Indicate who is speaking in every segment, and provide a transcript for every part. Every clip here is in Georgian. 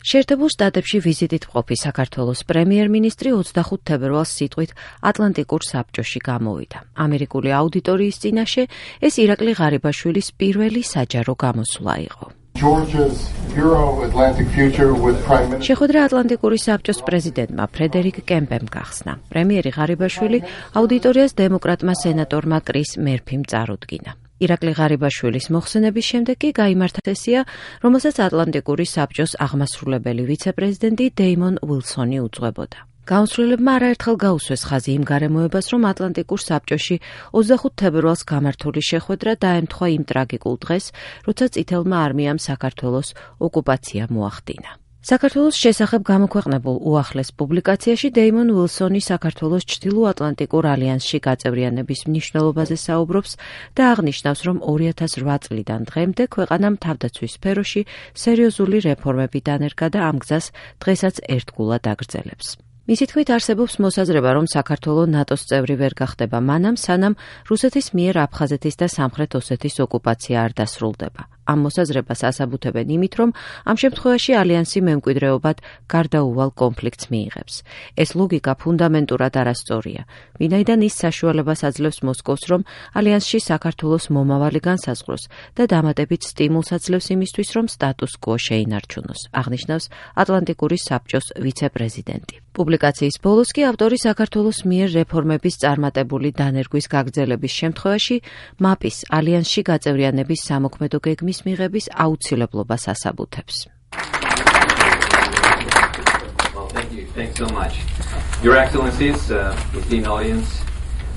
Speaker 1: შეერთებულ შტატებში ვიზიტით მყოფი საქართველოს პრემიერ-მინისტრი 25 თებერვალს სიტყვით ატლანტიკურ საბჭოში გამოვიდა. ამერიკული აუდიტორიის წინაშე ეს ირაკლი ღარიბაშვილის პირველი საჯარო გამოსვლა იყო. შეხვედრა ატლანტიკური საბჭოს პრეზიდენტმა ფრედერიკ კემპემ გახსნა. პრემიერი ღარიბაშვილი აუდიტორიას დემოკრატმა სენატორმა კრის მერფიმ წარუდგინა. ირაკლი ღარიბაშვილის მოხსენების შემდეგ კი გაიმართა სესია, რომელსაც ატლანტიკური საბჭოს აღმასრულებელი ვიცე-პრეზიდენტი დეიმონ უილსონი უძღვებოდა. გაუმსვლელებმა არაერთხელ გაუსვეს ხაზი იმ გარემოებას, რომ ატლანტიკურ საბჭოში 25 თებერვალს გამართული შეხვედრა დაემთხვა იმ ტრაგიკულ დღეს, როცა წითელმა არმიამ საქართველოს ოკუპაცია მოახდინა. საქართველოს შესახებ გამოქვეყნებულ უახლეს პუბლიკაციაში დეიმონ უილსონი საქართველოს ჩრდილოატლანტიკურ ალიანსში გაწევრიანების მნიშვნელობაზე საუბრობს და აღნიშნავს, რომ 2008 წლიდან დღემდე ქვეყანამ თავდაცვის სფეროში სერიოზული რეფორმები დანერგა და ამ გზას დღესაც ერთგულად აგრძელებს. მისი თქმით არსებობს მოსაზრება, რომ საქართველო ნატოს წევრი ვერ გახდება მანამ, სანამ რუსეთის მიერ აფხაზეთის და სამხრეთ ოსეთის ოკუპაცია არ დასრულდება. ამ მოსაზრებას ასაბუთებენ იმით, რომ ამ შემთხვევაში ალიანსი მემკვიდრეობად გარდაუვალ კონფლიქტს მიიღებს. ეს ლოგიკა ფუნდამენტურად არასწორია, ვინაიდან ის საშუალებას აძლევს მოსკოვს, რომ ალიანსში საქართველოს მომავალი განსაზღვროს და დამატებით სტიმულს აძლევს იმისთვის, რომ სტატუს კვო შეინარჩუნოს, აღნიშნავს ატლანტიკური საბჭოს ვიცე-პრეზიდენტი. პუბლიკაციის ბოლოს კი ავტორი საქართველოს მიერ რეფორმების წარმატებული დანერგვის გაგრძელების შემთხვევაში მაპის ალიანსში გაწევრიანების სამოქმედო გეგმის მიღების აუცილებლობას ასაბუთებს.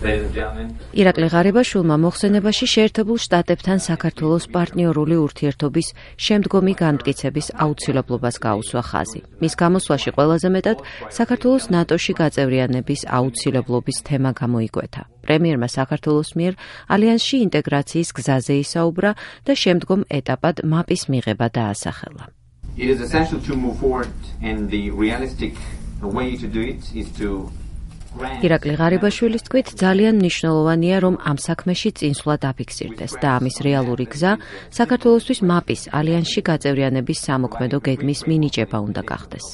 Speaker 1: ირაკლი ღარიბაშვილმა მოხსენებაში შეერთებულ შტატებთან საქართველოს პარტნიორული ურთიერთობის შემდგომი განმტკიცების აუცილებლობას გაუსვა ხაზი. მის გამოსვლაში ყველაზე მეტად საქართველოს ნატოში გაწევრიანების აუცილებლობის თემა გამოიკვეთა. პრემიერმა საქართველოს მიერ ალიანსში ინტეგრაციის გზაზე ისაუბრა და შემდგომ ეტაპად მაპის მიღება დაასახელა.
Speaker 2: It is essential to move forward and the realistic way to do it is to
Speaker 1: ირაკლი ღარიბაშვილის თქმით, ძალიან მნიშვნელოვანია, რომ ამ საქმეში წინსვლა დაფიქსირდეს და ამის რეალური გზა საქართველოსთვის მაპის ალიანსში გაწევრიანების სამოქმედო გეგმის მინიჭება უნდა გახდეს.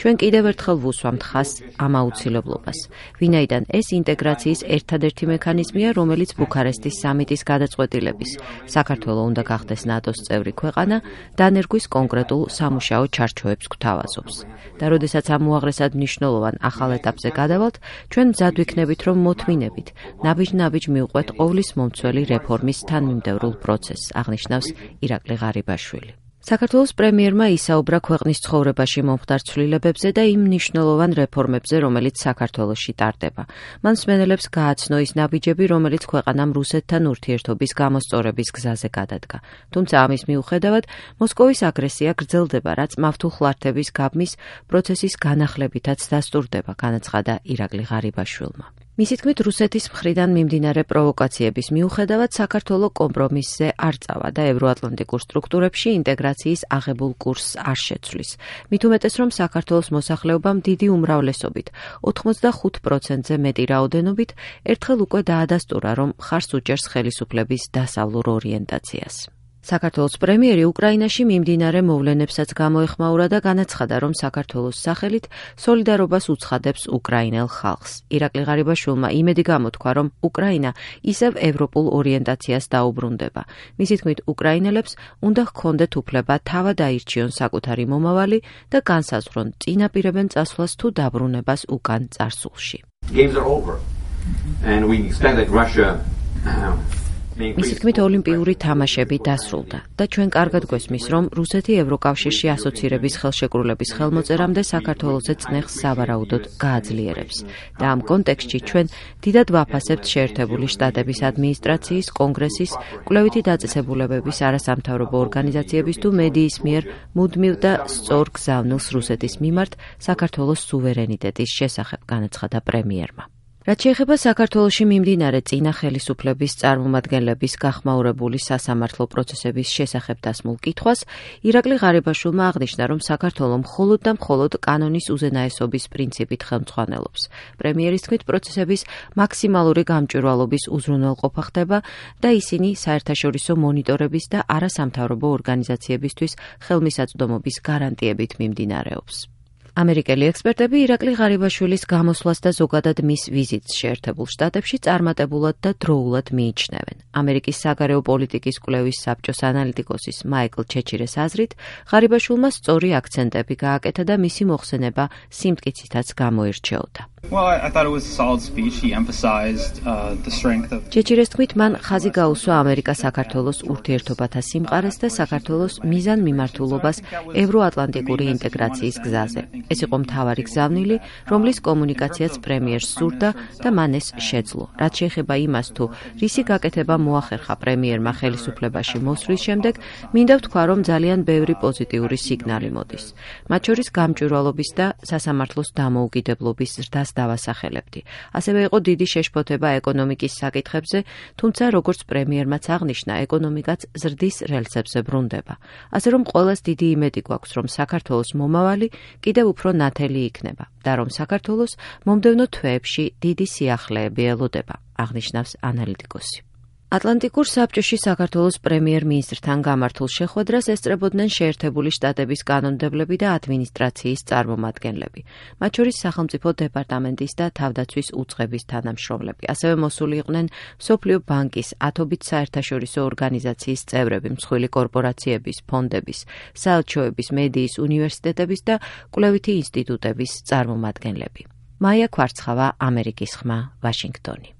Speaker 1: ჩვენ კიდევ ერთხელ ვუსვამთ ხაზს ამ აუცილებლობას, ვინაიდან ეს ინტეგრაციის ერთადერთი მექანიზმია, რომელიც ბუქარესტის სამიტის გადაწყვეტილების საქართველო უნდა გახდეს ნატოს წევრი ქვეყანა, დანერგვის კონკრეტულ სამუშაო ჩარჩოებს გვთავაზობს. და როდესაც ამ უაღრესად მნიშვნელოვან ახალ ეტაპზე გადავალთ, ჩვენ მზად ვიქნებით, რომ მოთმინებით, ნაბიჯ-ნაბიჯ მივყვეთ ყოვლის მომცველი რეფორმის თანმიმდევრულ პროცესს, აღნიშნავს ირაკლი ღარიბაშვილი. საქართველოს პრემიერმა ისაუბრა ქვეყნის ცხოვრებაში მომხდარ ცვლილებებზე და იმ მნიშვნელოვან რეფორმებზე, რომელიც საქართველოში ტარდება. მან მსმენელებს გააცნო ის ნაბიჯები, რომელიც ქვეყანამ რუსეთთან ურთიერთობის გამოსწორების გზაზე გადადგა. თუმცა ამის მიუხედავად, მოსკოვის აგრესია გრძელდება, რაც მავთულხლართების გაბმის პროცესის განახლებითაც დასტურდება, განაცხადა ირაკლი ღარიბაშვილმა. მისი თქმით, რუსეთის მხრიდან მიმდინარე პროვოკაციების მიუხედავად საქართველო კომპრომისზე არ წავა და ევროატლანტიკურ სტრუქტურებში ინტეგრაციის აღებულ კურსს არ შეცვლის. მით უმეტეს, რომ საქართველოს მოსახლეობამ დიდი უმრავლესობით 85%-ზე მეტი რაოდენობით ერთხელ უკვე დაადასტურა, რომ მხარს უჭერს ხელისუფლების დასავლურ ორიენტაციას. საქართველოს პრემიერი უკრაინაში მიმდინარე მოვლენებსაც გამოეხმაურა და განაცხადა, რომ საქართველოს სახელით სოლიდარობას უცხადებს უკრაინელ ხალხს. ირაკლი ღარიბაშვილმა იმედი გამოთქვა, რომ უკრაინა ისევ ევროპულ ორიენტაციას დაუბრუნდება. მისი თქმით, უკრაინელებს უნდა ჰქონდეთ უფლება თავად აირჩიონ საკუთარი მომავალი და განსაზღვრონ, წინაპირებენ წასვლას თუ დაბრუნებას უკან წარსულში. მისი თქმით, ოლიმპიური თამაშები დასრულდა და ჩვენ კარგად გვესმის, რომ რუსეთი ევროკავშირში ასოცირების ხელშეკრულების ხელმოწერამდე საქართველოზე წნეხს სავარაუდოდ გააძლიერებს. და ამ კონტექსტში ჩვენ დიდად ვაფასებთ შეერთებული შტატების ადმინისტრაციის, კონგრესის, კვლევითი დაწესებულებების, არასამთავრობო ორგანიზაციების თუ მედიის მიერ მუდმივ და სწორ გზავნილს რუსეთის მიმართ საქართველოს სუვერენიტეტის შესახებ, განაცხადა პრემიერმა. რაც შეეხება საქართველოში მიმდინარე წინა ხელისუფლების წარმომადგენლების გახმაურებული სასამართლო პროცესების შესახებ დასმულ კითხვას, ირაკლი ღარიბაშვილმა აღნიშნა, რომ საქართველო მხოლოდ და მხოლოდ კანონის უზენაესობის პრინციპით ხელმძღვანელობს. პრემიერის თქმით, პროცესების მაქსიმალური გამჭვირვალობის უზრუნველყოფა ხდება და ისინი საერთაშორისო მონიტორების და არასამთავრობო ორგანიზაციებისთვის ხელმისაწვდომობის გარანტიებით მიმდინარეობს. ამერიკელი ექსპერტები ირაკლი ღარიბაშვილის გამოსვლას და ზოგადად მის ვიზიტს შეერთებულ შტატებში წარმატებულად და დროულად მიიჩნევენ. ამერიკის საგარეო პოლიტიკის კვლევის საბჭოს ანალიტიკოსის მაიკლ ჩეჩირეს აზრით, ღარიბაშვილმა სწორი აქცენტები გააკეთა და მისი მოხსენება სიმტკიცითაც გამოირჩეოდა. ჩეჩირეს თქმით, მან ხაზი გაუსვა ამერიკა-საქართველოს ურთიერთობათა სიმყარეს და საქართველოს მიზანმიმართულობას ევროატლანტიკური ინტეგრაციის გზაზე. ეს იყო მთავარი გზავნილი, რომლის კომუნიკაციაც პრემიერს სურდა და მან ეს შეძლო. რაც შეეხება იმას, თუ რისი გაკეთება მოახერხა პრემიერმა ხელისუფლებაში მოსვლის შემდეგ, მინდა ვთქვა, რომ ძალიან ბევრი პოზიტიური სიგნალი მოდის. მათ შორის გამჭვირვალობის და სასამართლოს დამოუკიდებლობის ზრდას დავასახელებდი. ასევე იყო დიდი შეშფოთება ეკონომიკის საკითხებზე, თუმცა როგორც პრემიერმაც აღნიშნა, ეკონომიკაც ზრდის რელსებზე ბრუნდება. ასე რომ ყველას დიდი იმედი გვაქვს, რომ საქართველოს მომავალი კიდევ უფრო ნათელი იქნება და რომ საქართველოს მომდევნო თვეებში დიდი სიახლეები ელოდება, აღნიშნავს ანალიტიკოსი. ატლანტიკურ საბჭოში საქართველოს პრემიერ-მინისტრთან გამართულ შეხვედრას ესწრებოდნენ შეერთებული შტატების კანონმდებლები და ადმინისტრაციის წარმომადგენლები, მათ შორის სახელმწიფო დეპარტამენტის და თავდაცვის უწყების თანამშრომლები. ასევე მოსული იყვნენ მსოფლიო ბანკის, ათობით საერთაშორისო ორგანიზაციის წევრები, მსხვილი კორპორაციების, ფონდების, საელჩოების, მედიის, უნივერსიტეტების და კვლევითი ინსტიტუტების წარმომადგენლები. მაია ქვარცხავა, ამერიკის ხმა, ვაშინგტონი.